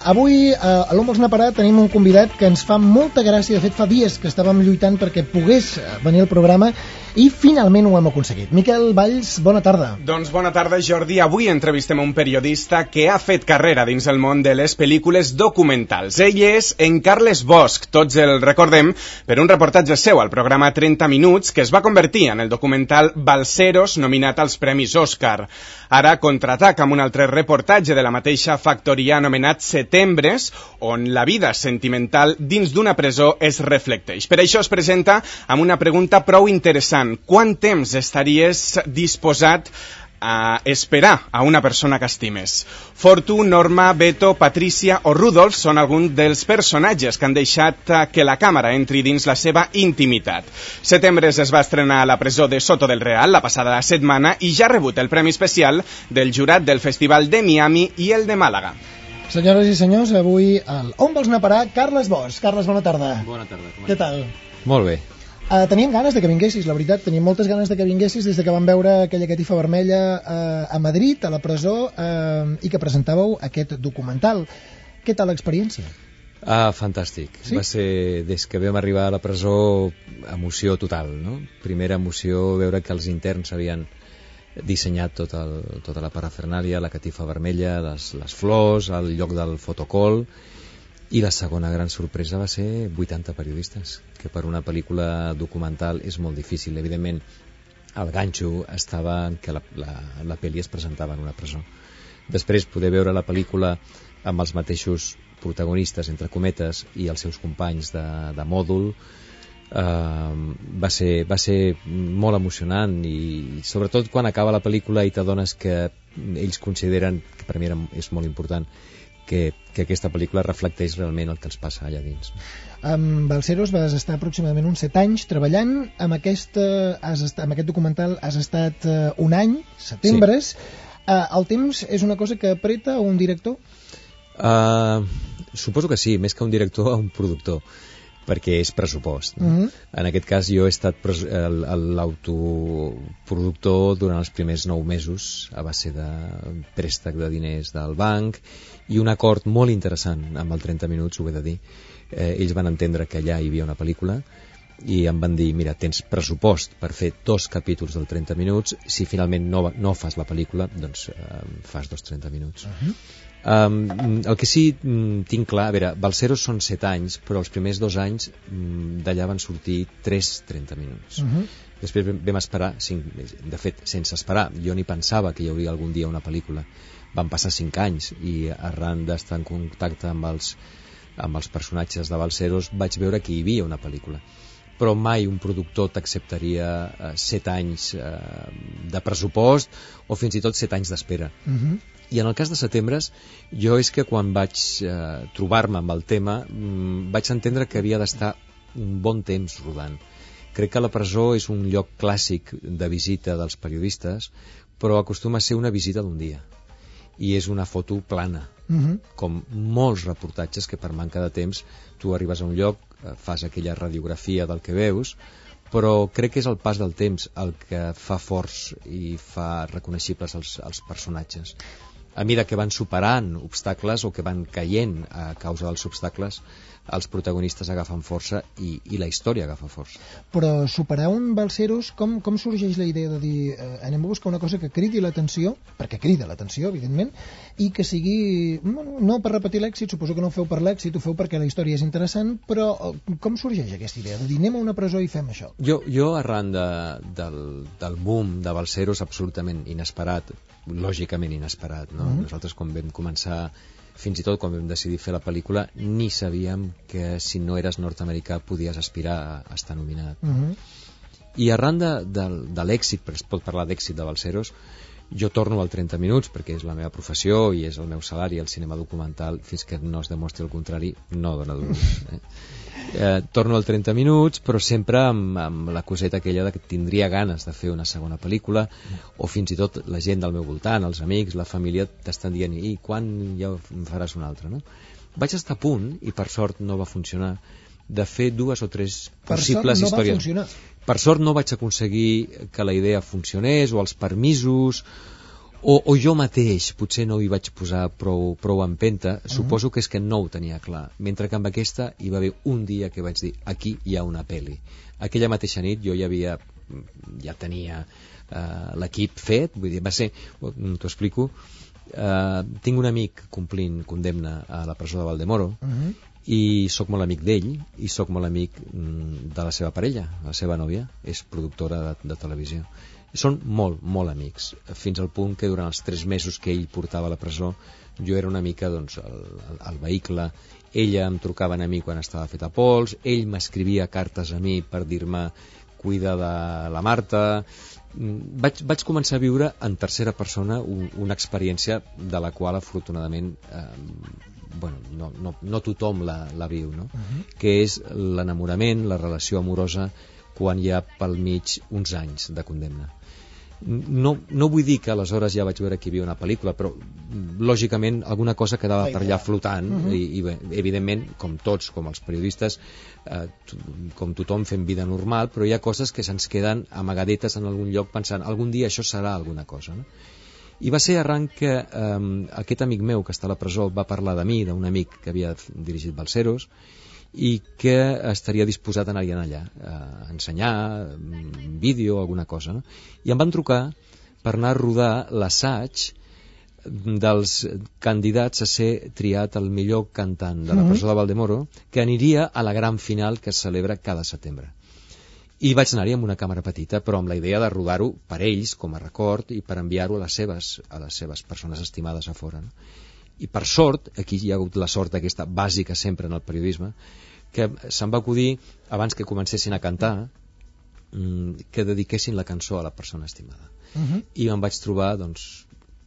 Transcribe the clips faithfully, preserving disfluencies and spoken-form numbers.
avui a l'Home Snaparà tenim un convidat que ens fa molta gràcia. De fet, fa dies que estàvem lluitant perquè pogués venir al programa i finalment ho hem aconseguit. Miquel Valls, bona tarda. Doncs bona tarda, Jordi. Avui entrevistem un periodista que ha fet carrera dins el món de les pel·lícules documentals. Ell és en Carles Bosch. Tots el recordem per un reportatge seu al programa trenta minuts que es va convertir en el documental Balseros, nominat als Premis Òscar. Ara contraataca amb un altre reportatge de la mateixa factoria anomenat Setembres, on la vida sentimental dins d'una presó es reflecteix. Per això es presenta amb una pregunta prou interessant. Quant temps estaries disposat a esperar a una persona que estimes? Fortu, Norma, Beto, Patricia o Rudolf són alguns dels personatges que han deixat que la càmera entri dins la seva intimitat. Setembres es va estrenar a la presó de Soto del Real la passada setmana i ja ha rebut el premi especial del jurat del Festival de Miami i el de Màlaga. Senyores i senyors, avui al On vols anar a parar? Carles Bosch. Carles, bona tarda. Bona tarda. Com Què tal? Molt bé. Uh, teníem ganes de que vinguessis, la veritat, teníem moltes ganes de que vinguessis des de que vam veure aquella catifa vermella uh, a Madrid, a la presó, uh, i que presentàveu aquest documental. Què tal l'experiència? Ah, fantàstic. Sí? Va ser, des que vam arribar a la presó, emoció total, no? Primera emoció, veure que els interns havien dissenyat tot el, tota la parafernàlia, la catifa vermella, les, les flors, el lloc del fotocol. I la segona gran sorpresa va ser vuitanta periodistes, que per una pel·lícula documental és molt difícil. Evidentment, el ganxo estava en que la, la, la pel·li es presentava en una presó. Després, poder veure la pel·lícula amb els mateixos protagonistes, entre cometes, i els seus companys de, de mòdul, eh, va, ser, va ser molt emocionant, i sobretot quan acaba la pel·lícula i t'adones que ells consideren, que per mi era, és molt important, Que, que aquesta pel·lícula reflecteix realment el que ens passa allà dins. Amb Balseros vas estar aproximadament uns set anys treballant amb, aquesta, has estat, amb aquest documental. Has estat uh, un any, Setembres. Sí. Uh, el temps és una cosa que apreta un director? Uh, suposo que sí, més que un director, un productor, perquè és pressupost, no? Uh-huh. En aquest cas jo he estat l'autoproductor durant els primers nou mesos a base de préstec de diners del banc i un acord molt interessant amb el trenta minuts, ho he de dir. Eh, ells van entendre que allà hi havia una pel·lícula i em van dir, mira, tens pressupost per fer dos capítols del trenta minuts, si finalment no, no fas la pel·lícula, doncs eh, fas dos trenta minuts. Uh-huh. Um, el que sí um, tinc clar, a veure, Balseros són set anys, però els primers dos anys um, d'allà van sortir tres trenta minuts. Uh-huh. Després vam, vam esperar cinc, de fet, sense esperar, jo ni pensava que hi hauria algun dia una pel·lícula. Van passar cinc anys i arran d'estar en contacte amb els, amb els personatges de Balseros vaig veure que hi havia una pel·lícula, però mai un productor t'acceptaria eh, set anys eh, de pressupost o fins i tot set anys d'espera. Uh-huh. I en el cas de Setembres, jo és que quan vaig eh, trobar-me amb el tema mm, vaig entendre que havia d'estar un bon temps rodant. Crec que la presó és un lloc clàssic de visita dels periodistes, però acostuma a ser una visita d'un dia i és una foto plana. Uh-huh. Com molts reportatges que per manca de temps tu arribes a un lloc, fas aquella radiografia del que veus, però crec que és el pas del temps el que fa forts i fa reconeixibles els, els personatges. A mesura que van superant obstacles o que van caient a causa dels obstacles, els protagonistes agafen força i, i la història agafa força. Però superar un Balseros, com, com sorgeix la idea de dir eh, anem a buscar una cosa que cridi l'atenció, perquè crida l'atenció, evidentment, i que sigui, bueno, no per repetir l'èxit, suposo que no ho feu per l'èxit, ho feu perquè la història és interessant, però com sorgeix aquesta idea de dir anem a una presó i fem això? Jo, jo arran de, del, del boom de Balseros, absolutament inesperat, lògicament inesperat, no? Uh-huh. Nosaltres quan vam començar, fins i tot quan vam decidir fer la pel·lícula, ni sabíem que si no eres nord-americà podies aspirar a estar nominat. Uh-huh. I arran de, de, de l'èxit, perquè es pot parlar d'èxit de Balseros, jo torno al trenta minuts perquè és la meva professió i és el meu salari, el cinema documental, fins que no es demostri el contrari, no dona duros. Eh? Eh, torno al trenta minuts, però sempre amb, amb la coseta aquella de que tindria ganes de fer una segona pel·lícula, o fins i tot la gent del meu voltant, els amics, la família, t'estan dient, i quan ja en faràs una altra, no? Vaig estar a punt, i per sort no va funcionar, de fer dues o tres per possibles sort no històries. Va funcionar. Per sort no vaig aconseguir que la idea funcionés, o els permisos, o, o jo mateix potser no hi vaig posar prou, prou empenta, uh-huh. Suposo que és que no ho tenia clar, mentre que amb aquesta hi va haver un dia que vaig dir, aquí hi ha una pel·li. Aquella mateixa nit jo ja havia ja tenia uh, l'equip fet, vull dir, va ser, t'ho explico, uh, tinc un amic complint condemna a la presó de Valdemoro, uh-huh. I sóc molt amic d'ell i sóc molt amic mm, de la seva parella, la seva nòvia és productora de, de televisió. Són molt, molt amics, fins al punt que durant els tres mesos que ell portava a la presó jo era una mica doncs, el, el, el vehicle. Ella em trucava a mi quan estava fet a pols, ell m'escrivia cartes a mi per dir-me cuida de la Marta. Vaig, vaig començar a viure en tercera persona un, una experiència de la qual afortunadament eh, bueno, no, no, no tothom la, la viu, no? Uh-huh. Que és l'enamorament, la relació amorosa quan hi ha pel mig uns anys de condemna. No, no vull dir que aleshores ja vaig veure que hi havia una pel·lícula, però lògicament alguna cosa quedava per allà flotant, uh-huh. i, i bé, evidentment, com tots, com els periodistes, eh, com tothom fem vida normal, però hi ha coses que se'ns queden amagadetes en algun lloc pensant algun dia això serà alguna cosa, no? I va ser arran que eh, aquest amic meu que està a la presó va parlar de mi, d'un amic que havia dirigit Balseros, i que estaria disposat a anar-hi allà, a ensenyar un vídeo o alguna cosa, no? I em van trucar per anar a rodar l'assaig dels candidats a ser triat el millor cantant de la presó de Valdemoro, que aniria a la gran final que es celebra cada setembre. I vaig anar-hi amb una càmera petita, però amb la idea de rodar-ho per ells, com a record, i per enviar-ho a les seves, a les seves persones estimades a fora, no? I per sort, aquí hi ha hagut la sort aquesta bàsica sempre en el periodisme, que se'm va acudir, abans que comencessin a cantar, que dediquessin la cançó a la persona estimada. Uh-huh. I em vaig trobar, doncs,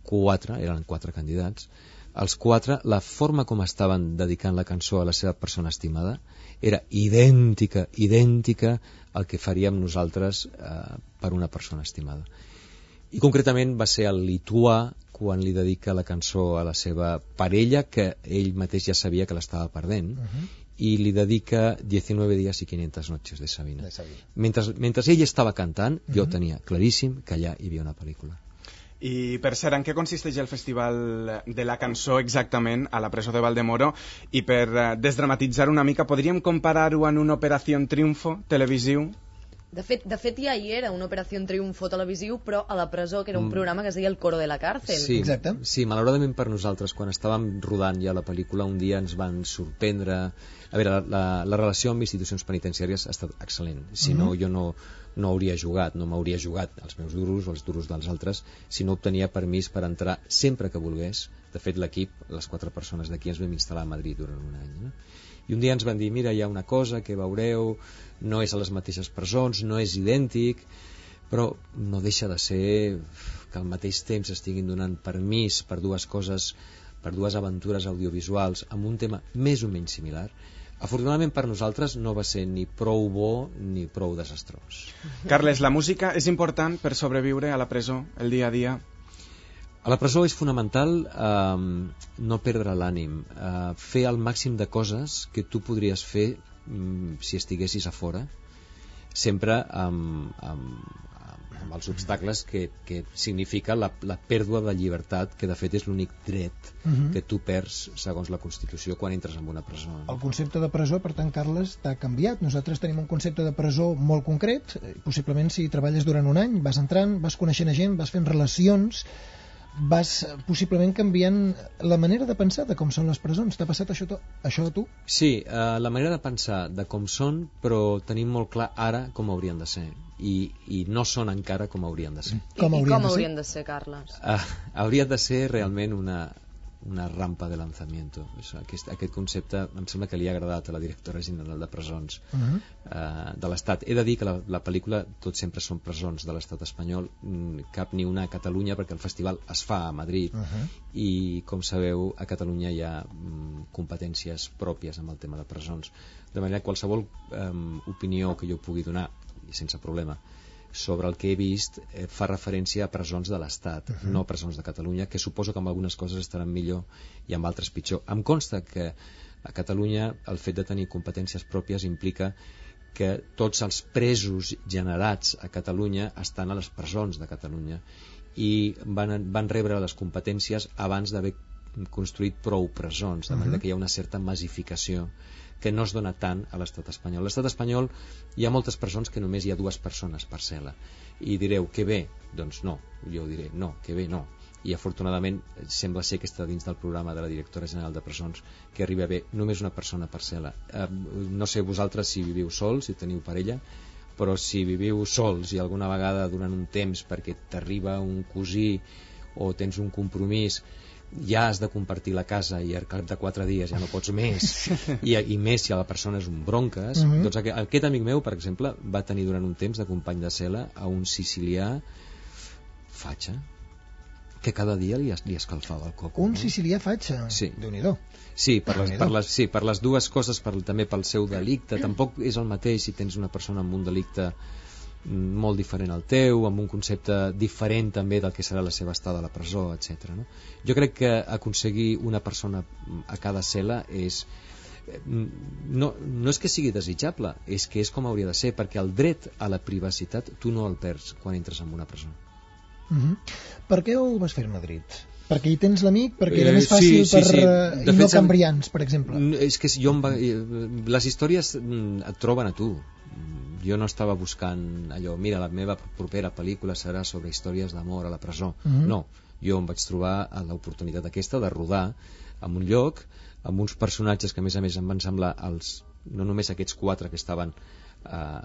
quatre, eren quatre candidats, els quatre, la forma com estaven dedicant la cançó a la seva persona estimada era idèntica, idèntica al que faríem nosaltres eh, per una persona estimada. I concretament va ser el lituà quan li dedica la cançó a la seva parella, que ell mateix ja sabia que l'estava perdent, uh-huh. I li dedica diecinueve días y quinientas noches de Sabina. De Sabina. Mentre, mentre ell estava cantant, uh-huh. Jo tenia claríssim que allà hi havia una pel·lícula. I per cert, en què consisteix el Festival de la Cançó exactament a la presó de Valdemoro? I per desdramatitzar una mica, podríem comparar-ho en una Operació Triunfo televisiu? De fet, de fet ja hi era una Operació Triunfo televisiu, però a la presó, que era un mm. programa que es deia El Coro de la Cárcel. Sí, exacte. Sí, malauradament per nosaltres, quan estàvem rodant ja la pel·lícula, un dia ens van sorprendre. A veure, la, la relació amb institucions penitenciàries ha estat excel·lent. Si no, mm-hmm. jo no, no hauria jugat, no m'hauria jugat els meus duros o els duros dels altres si no obtenia permís per entrar sempre que volgués. De fet, l'equip, les quatre persones d'aquí, ens vam instal·lar a Madrid durant un any, no? I un dia ens van dir, mira, hi ha una cosa que veureu, no és a les mateixes presons, no és idèntic, però no deixa de ser que al mateix temps estiguin donant permís per dues coses, per dues aventures audiovisuals amb un tema més o menys similar. Afortunadament per nosaltres no va ser ni prou bo ni prou desastrós. Carles, la música és important per sobreviure a la presó, el dia a dia? A la presó és fonamental eh, no perdre l'ànim, eh, fer el màxim de coses que tu podries fer mm, si estiguessis a fora, sempre amb, amb, amb els obstacles que, que significa la, la pèrdua de llibertat, que de fet és l'únic dret uh-huh. que tu perds segons la Constitució quan entres en una presó. El concepte de presó, per tant, Carles, t'ha canviat. Nosaltres tenim un concepte de presó molt concret. Possiblement si treballes durant un any, vas entrant, vas coneixent gent, vas fent relacions, vas possiblement canviant la manera de pensar de com són les presons. T'ha passat això, to això a tu? Sí, eh, la manera de pensar de com són, però tenim molt clar ara com haurien de ser. I, i no són encara com haurien de ser. Com haurien I com de haurien de ser, Carles? Uh, hauria de ser realment una, una rampa de lanzamiento. Aquest, aquest concepte em sembla que li ha agradat a la directora general de presons uh-huh. uh, de l'Estat. He de dir que la, la pel·lícula Tot sempre són presons de l'Estat espanyol, cap ni una a Catalunya, perquè el festival es fa a Madrid uh-huh. i, com sabeu, a Catalunya hi ha um, competències pròpies amb el tema de presons. De manera que qualsevol um, opinió que jo pugui donar, i sense problema, sobre el que he vist eh, fa referència a presons de l'Estat, uh-huh. no presons de Catalunya, que suposo que amb algunes coses estaran millor i amb altres pitjor. Em consta que a Catalunya el fet de tenir competències pròpies implica que tots els presos generats a Catalunya estan a les presons de Catalunya i van, van rebre les competències abans d'haver construït prou presons, de manera que hi ha una certa massificació que no es dona tant a l'estat espanyol. A l'estat espanyol hi ha moltes presons que només hi ha dues persones per cel·la, i direu, que bé? Doncs no, jo diré, no, que bé no, i afortunadament sembla ser que està dins del programa de la directora general de presons que arriba a haver només una persona per cel·la. Eh, no sé vosaltres si viviu sols, si teniu parella, però si viviu sols i alguna vegada durant un temps perquè t'arriba un cosí o tens un compromís, ja has de compartir la casa i al cap de quatre dies ja no pots més, i, i més si la persona és un bronques. Uh-huh. Doncs aquest, aquest amic meu, per exemple, va tenir durant un temps de company de cel·la a un sicilià fatxa que cada dia li, es, li escalfava el coco. Un no? sicilià fatxa? Sí. Déu-n'hi-do. Sí, per les, per les, sí, per les dues coses, per, també pel seu delicte. Tampoc és el mateix si tens una persona amb un delicte molt diferent al teu, amb un concepte diferent també del que serà la seva estada a la presó, etcètera. No? Jo crec que aconseguir una persona a cada cel·la és no, no és que sigui desitjable, és que és com hauria de ser, perquè el dret a la privacitat tu no el perds quan entres en una presó. Uh-huh. Per què ho vas fer a Madrid? Perquè hi tens l'amic, perquè era més fàcil sí, sí, per... sí. I no Cambrians, per exemple. És que jo em va... les històries et troben a tu. Jo no estava buscant allò, mira, la meva propera pel·lícula serà sobre històries d'amor a la presó. Uh-huh. No, jo em vaig trobar a l'oportunitat aquesta de rodar en un lloc amb uns personatges que a més a més em van semblar els, no només aquests quatre que estaven Uh,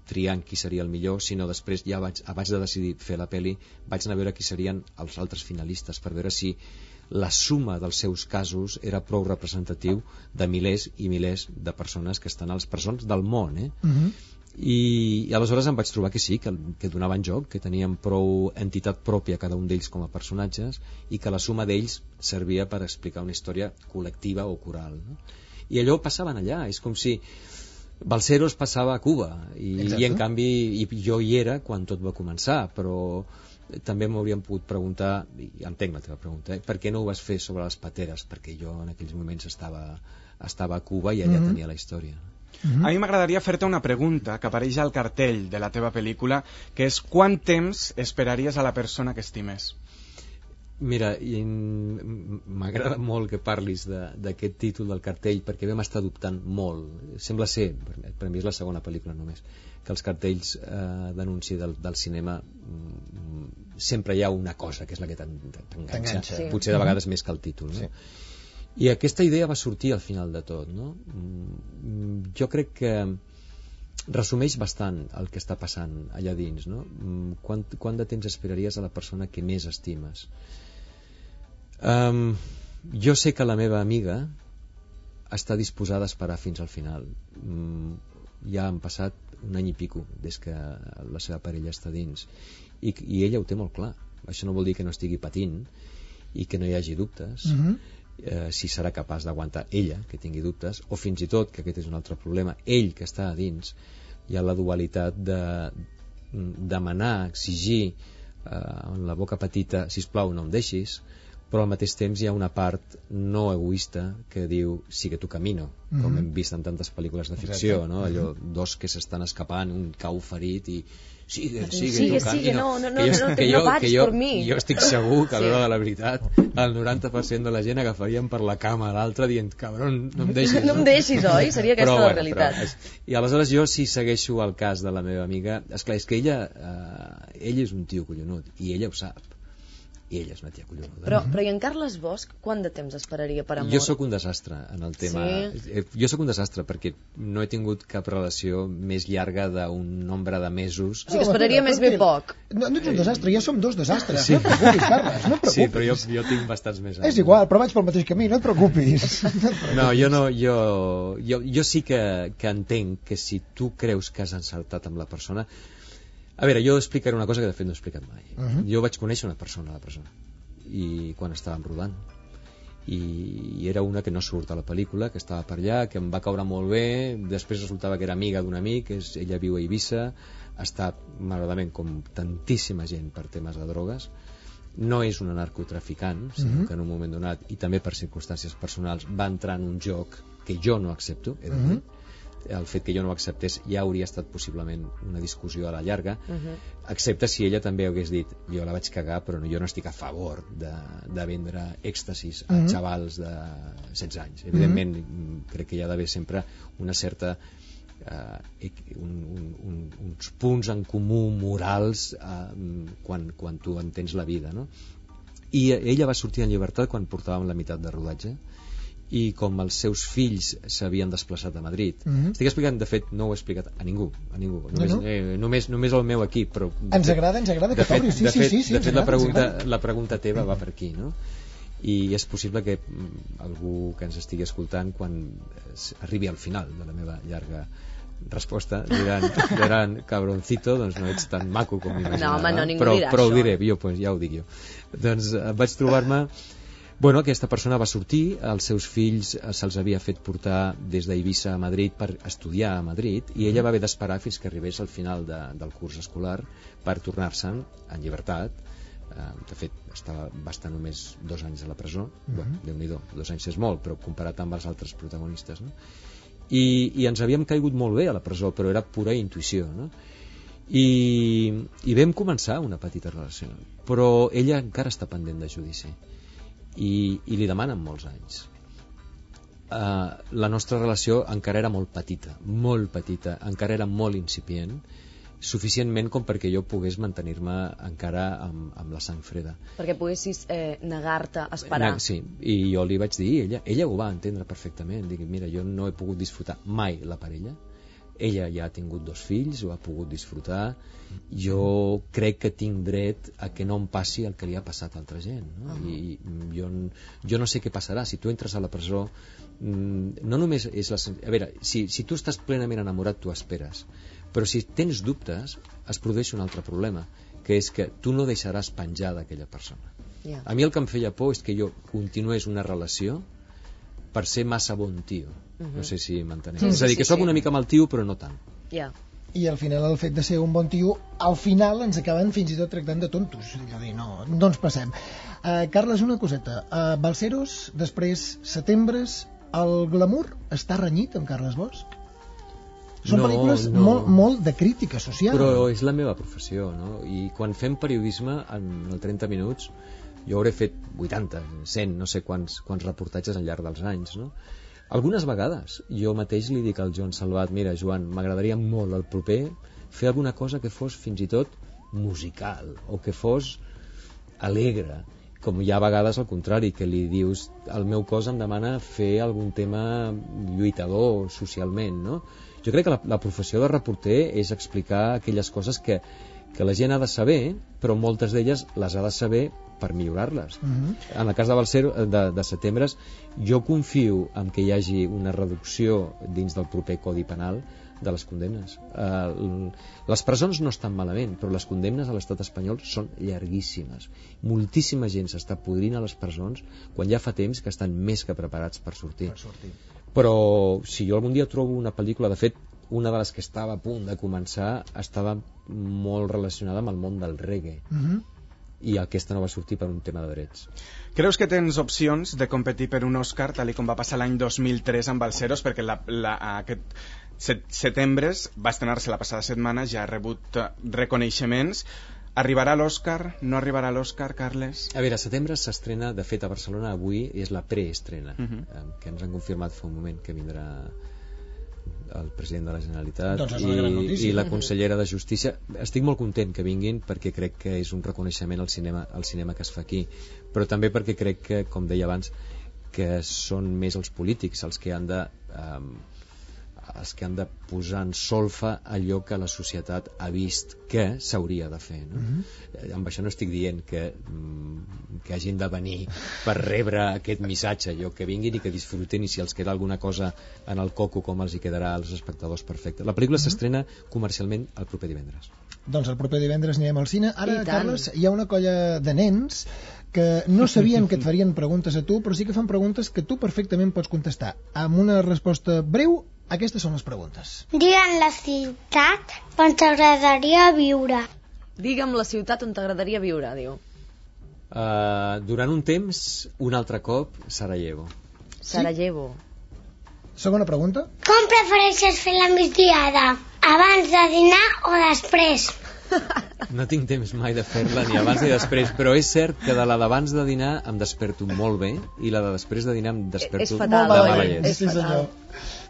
triant qui seria el millor, sinó després ja vaig, abans de decidir fer la pel·li vaig anar a veure qui serien els altres finalistes per veure si la suma dels seus casos era prou representatiu de milers i milers de persones que estan a les presons del món, eh? Uh-huh. I, i aleshores em vaig trobar que sí, que, que donaven joc, que tenien prou entitat pròpia cada un d'ells com a personatges i que la suma d'ells servia per explicar una història col·lectiva o coral, no? I allò passaven allà, és com si Balseros passava a Cuba i, i en canvi i jo hi era quan tot va començar, però també m'haurien pogut preguntar, i entenc la teva pregunta, eh, per què no ho vas fer sobre les pateres, perquè jo en aquells moments estava, estava a Cuba i allà mm-hmm. tenia la història. Mm-hmm. A mi m'agradaria fer-te una pregunta que apareix al cartell de la teva pel·lícula, que és quant temps esperaries a la persona que estimes? Mira, m'agrada molt que parlis d'aquest títol del cartell perquè vam estar dubtant molt. Sembla ser, per mi és la segona pel·lícula només, que els cartells eh, d'anunci del, del cinema mm, sempre hi ha una cosa que és la que t'enganxa, sí. Potser de vegades més que el títol, no? Sí. I aquesta idea va sortir al final de tot, no? Jo crec que resumeix bastant el que està passant allà dins, no? Quant, quant de temps esperaries a la persona que més estimes? Um, jo sé que la meva amiga està disposada a esperar fins al final. Um, ja han passat un any i pico des que la seva parella està dins i, i ella ho té molt clar. Això no vol dir que no estigui patint i que no hi hagi dubtes. Uh-huh. eh, si serà capaç d'aguantar ella que tingui dubtes, o fins i tot, que aquest és un altre problema, ell que està a dins, hi ha la dualitat de demanar, exigir eh, amb la boca petita, sisplau no em deixis, però al mateix temps hi ha una part no egoista que diu sigue tu camino, mm-hmm. com hem vist en tantes pel·lícules de ficció, no? Allò, dos que s'estan escapant, un cau ferit i sigue, sigue, sigue, tu sigue, camino. no, no, no, que jo, no, que no, jo, no vaig que jo, per mi. Jo estic segur que a l'hora de la veritat el noranta per cent de la gent agafarien per la cama a l'altre dient, cabron, no em deixis. No em deixis, oi? Seria aquesta però, la bueno, realitat. Però, I aleshores jo, si segueixo el cas de la meva amiga, esclar, és que ella, eh, ell és un tio collonut i ella ho sap. I ella és una tia collonuda. Però, però i en Carles Bosch, quant de temps esperaria per amor? Jo sóc un desastre en el tema. Sí? Jo sóc un desastre perquè no he tingut cap relació més llarga d'un nombre de mesos. O sigui que esperaria més bé poc. No, no ets un desastre, ja som dos desastres. Sí. No et preocupis, Carles, no et preocupis. Sí, però jo, jo tinc bastants més anys. És igual, però vaig pel mateix camí, no et preocupis. No, et preocupis. No, jo no, jo, jo, jo sí que, que entenc que si tu creus que has encertat amb la persona. A veure, jo explicaré una cosa que de fet no he explicat mai. Uh-huh. Jo vaig conèixer una persona a la presó i quan estàvem rodant i, i era una que no surt a la pel·lícula, que estava per allà, que em va caure molt bé, després resultava que era amiga d'un amic, és, ella viu a Eivissa, està malauradament com tantíssima gent per temes de drogues, no és una narcotraficant, sinó uh-huh. que en un moment donat i també per circumstàncies personals va entrar en un joc que jo no accepto, he de dir, uh-huh. el fet que jo no ho acceptés ja hauria estat possiblement una discussió a la llarga, Uh-huh. excepte si ella també hagués dit jo la vaig cagar però jo no estic a favor de, de vendre èxtasis a Mhm. xavals de setze anys. Evidentment, crec que hi ha d'haver sempre una certa eh, un, un, un, uns punts en comú morals eh, quan, quan tu entens la vida, no? I ella va sortir en llibertat quan portàvem la meitat de rodatge, i com els seus fills s'havien desplaçat a Madrid. Mhm. Estic explicant, de fet, no ho he explicat a ningú, a ningú. No, Només, no. eh, només, només el meu equip, però... Ens agrada, ens agrada de que fet, t'obris. Sí, de sí, fet, sí, sí, de ens fet la, agrada, ens pregunta, agrada. la pregunta teva va per aquí, no? I és possible que mm, algú que ens estigui escoltant, quan es- arribi al final de la meva llarga resposta, diran, diran cabroncito, doncs no ets tan maco com m'imaginava. No, home, no, ningú però, dirà però ho això. diré, jo, pues, ja ho dic jo. Doncs eh, vaig trobar-me... Bueno, aquesta persona va sortir, els seus fills eh, se'ls havia fet portar des d'Eivissa a Madrid per estudiar a Madrid, i ella va haver d'esperar fins que arribés al final de, del curs escolar per tornar-se'n en llibertat. Eh, de fet, estava, va estar només dos anys a la presó. Mhm. Bueno, Déu-n'hi-do, dos anys és molt, però comparat amb els altres protagonistes, no? I, i ens havíem caigut molt bé a la presó, però era pura intuïció, no? I, i vam començar una petita relació, però ella encara està pendent de judici i, i li demanen molts anys. Uh, la nostra relació encara era molt petita, molt petita, encara era molt incipient, suficientment com perquè jo pogués mantenir-me encara amb, amb la sang freda. Perquè poguessis eh, negar-te a esperar. Na- Sí, i jo li vaig dir, ella, ella ho va entendre perfectament. Dic, mira, jo no he pogut disfrutar mai la parella. Ella ja ha tingut dos fills, ho ha pogut disfrutar. Jo crec que tinc dret a que no em passi el que li ha passat a altra gent, no? Uh-huh. I jo, n- jo no sé què passarà. Si tu entres a la presó, mm, no només és la... sen- A veure, si, si tu estàs plenament enamorat, tu esperes. Però si tens dubtes, es produeix un altre problema, que és que tu no deixaràs penjada aquella persona. Ja. A mi el que em feia por és que jo continués una relació per ser massa bon tio. Mhm. No sé si m'enteneu. Sí, És a sí, dir, que sí, sóc sí. una mica mal tio, però no tant. Ja. I al final el fet de ser un bon tio, al final ens acaben fins i tot tractant de tontos. És a dir, no, no ens passem. Uh, Carles, una coseta. Uh, Balseros, després Setembres, el glamour està renyit amb Carles Bosch? Són No, pel·lícules no. molt, molt de crítica social. Però és la meva professió, no? I quan fem periodisme, en el trenta minuts, jo hauré fet vuitanta, cent, no sé quants, quants reportatges al llarg dels anys, no? Algunes vegades jo mateix li dic al Joan Salvat, mira, Joan, m'agradaria molt el proper fer alguna cosa que fos fins i tot musical, o que fos alegre, com hi ha vegades al contrari, que li dius el meu cos em demana fer algun tema lluitador socialment, no? Jo crec que la, la professió de reporter és explicar aquelles coses que, que la gent ha de saber, però moltes d'elles les ha de saber per millorar-les. Mhm. En el cas de Balsero, de, de Setembres, jo confio en que hi hagi una reducció dins del proper Codi Penal de les condemnes. Uh, les presons no estan malament, però les condemnes a l'estat espanyol són llarguíssimes. Moltíssima gent s'està podrint a les presons quan ja fa temps que estan més que preparats per sortir. Per sortir. Però si jo algun dia trobo una pel·lícula, de fet, una de les que estava a punt de començar estava molt relacionada amb el món del reggae, Mhm. i aquesta no va sortir per un tema de drets. Creus que tens opcions de competir per un Òscar, tal i com va passar l'any dos mil tres amb Balseros, perquè la, la, aquest set, Setembres va estrenar-se la passada setmana, ja ha rebut eh, reconeixements. Arribarà a l'Òscar? No arribarà a l'Òscar, Carles? A veure, Setembre s'estrena, de fet a Barcelona avui és la preestrena, Uh -huh. eh, que ens han confirmat fa un moment que vindrà el president de la Generalitat Doncs és una gran notícia. i, i la consellera de Justícia. Estic molt content que vinguin perquè crec que és un reconeixement al cinema, al cinema que es fa aquí, però també perquè crec que, com deia abans, que són més els polítics els que han de eh, els que han de posar en solfa allò que la societat ha vist que s'hauria de fer, no? Mhm. Amb això no estic dient que, mm, que hagin de venir per rebre aquest missatge, jo que vinguin i que disfruten, i si els queda alguna cosa en el coco com els hi quedarà als espectadors, perfecte. La pel·lícula s'estrena comercialment el proper divendres. Doncs el proper divendres anirem al cine. Ara, I tant. Carles, hi ha una colla de nens que no sabien que et farien preguntes a tu, però sí que fan preguntes que tu perfectament pots contestar. Amb una resposta breu, aquestes són les preguntes. Digue'm la ciutat on t'agradaria viure. Digue'm la ciutat on t'agradaria viure, diu. Uh, durant un temps, un altre cop, Sarajevo. Sarajevo. Segona pregunta. Com prefereixes fer la migdiada? Abans de dinar o després? No tinc temps mai de fer-la ni abans ni després, però és cert que de la d'abans de dinar em desperto molt bé i la de després de dinar em desperto És fatal, de Molt mala bé, llet. és sí senyor.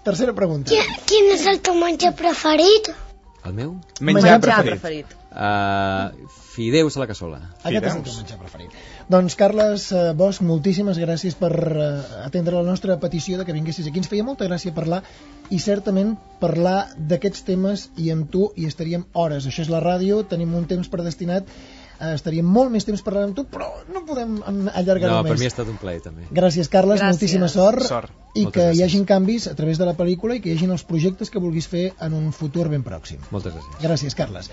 Tercera pregunta. Quin, quin és el teu menjar preferit? El meu? Menjar Menjar preferit. preferit. Uh, fideus a la cassola. Aquest és el Fideus. teu menjar preferit. Doncs, Carles eh, Bosch, moltíssimes gràcies per eh, atendre la nostra petició de que vinguessis aquí. Ens feia molta gràcia parlar, i certament parlar d'aquests temes, i amb tu hi estaríem hores. Això és la ràdio, tenim un temps predestinat, eh, estaríem molt més temps parlant amb tu, però no podem allargar-ho No, més. per mi ha estat un plaer també. Gràcies, Carles, Gràcies. moltíssima sort, Sort. i Moltes que hi gràcies. hagin canvis a través de la pel·lícula i que hi hagin els projectes que vulguis fer en un futur ben pròxim. Moltes gràcies. Gràcies, Carles.